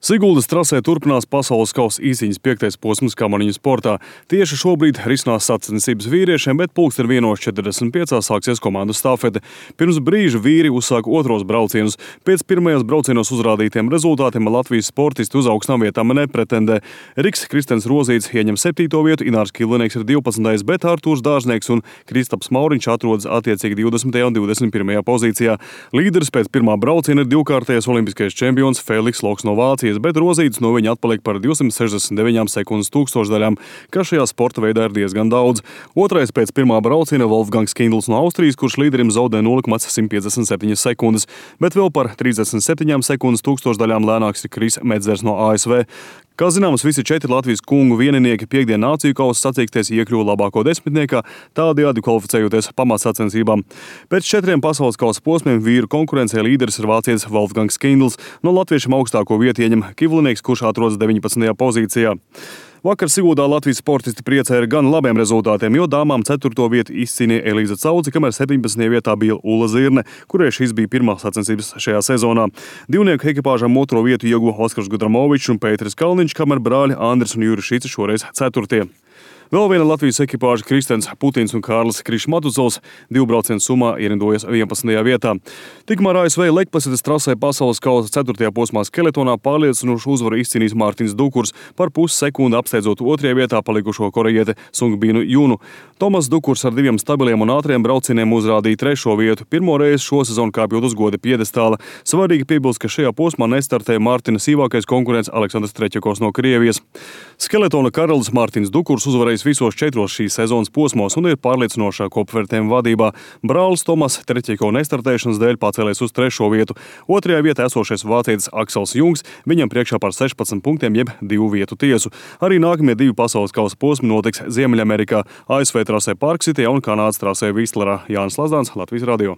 Siguldas trasē turpinās pasaules kausa īsiņas 5. posms kamaniņu sportā. Tieši šobrīd risinās sacensības vīriešiem, bet 1:45 sāksies komandu stafete. Pirms brīža vīri uzsāka otros braucienus. Pēc pirmajos braucienos uzrādītiem rezultātiem Latvijas sportisti uz augstām vietām nepretendē. Riks Kristens Rozīts ieņem 7. vietu, Inārs Kilinieks ir 12., bet Artūrs Dārznieks un Kristaps Mauriņš atrodas attiecīgi 20. un 21. pozīcijā. Līderis pēc pirmā brauciena ir divkārtējais olimpiskais čempions Feliks Loks no Vācijas, bet Rozīts no viņa atpaliek par 269 sekundes tūkstošdaļām, kas šajā sporta veidā ir diezgan daudz. Otrais pēc pirmā brauciena Wolfgangs Kindls no Austrijas, kurš līderim zaudē 0,157 sekundes, bet vēl par 37 sekundes tūkstošdaļām lēnāks ir Kris Medzers no ASV. Kā zināms, visi 4 Latvijas kungu vieninieki piekdien nāciju kausa sacīkstēs iekļuva labāko desmitniekā, tādējādi kvalificējoties pamatsacensībām. Pēc 4 pasaules kausa posmiem vīru konkurencē līderis ir vācietis Wolfgangs Kindls, no latviešiem augstāko vietu ieņem Kilinieks, kurš atrodas 19. pozīcijā. Vakar Siguldā Latvijas sportisti priecēja ar gan labiem rezultātiem, jo dāmām 4. vietu izcīnīja Elīza Cauci, kamēr 17. vietā bija Ulla Zirne, kurai šīs bija pirmās sacensības šajā sezonā. Divnieku ekipāžām 2. vietu ieguva Oskars Gudramovičs un Pēteris Kalniņš, kamēr brāļi Andris un Juris Šici šoreiz 4. Vēl viena Latvijas ekipāža Kristens Putins un Kārlis Krišmatuzovs 2 braucienu summā ierindojas 11. vietā. Tikmēr ASV Lekplasetes trasē pasaules kausa 4. posmā skeletonā pārliecinošu uzvaru izcīnījis Mārtiņš Dukurs, par pussekundi apsteidzot 2. vietā palikušo korejieti Sungbinu Junu. Tomas Dukurs ar 2 stabiliem un ātriem braucieniem uzrādīja 3. vietu, pirmo reizi šo sezonu kāpjot uz goda piedestāla. Svarīgi piebilst, ka šajā posmā nestartēja Mārtiņa sīvākais konkurents Aleksandrs Treķakovs no Krievijas. Skeletona karalis Mārtiņš Dukurs uzvarējis visos 4 šīs sezonas posmos un ir pārliecinošā kopvērtējuma vadībā. Brālis Tomas Treķekova nestartēšanas dēļ pacēlies uz 3. vietu. 2. vietā esošais vācietis Aksels Jungs, viņam priekšā par 16 punktiem jeb 2 vietu tiesu. Arī nākamie 2 pasaules kausa posmi notiks Ziemeļamerikā, ASV trasē Park City un Kanādas trasē Vistlerā. Jānis Lazdāns, Latvijas radio.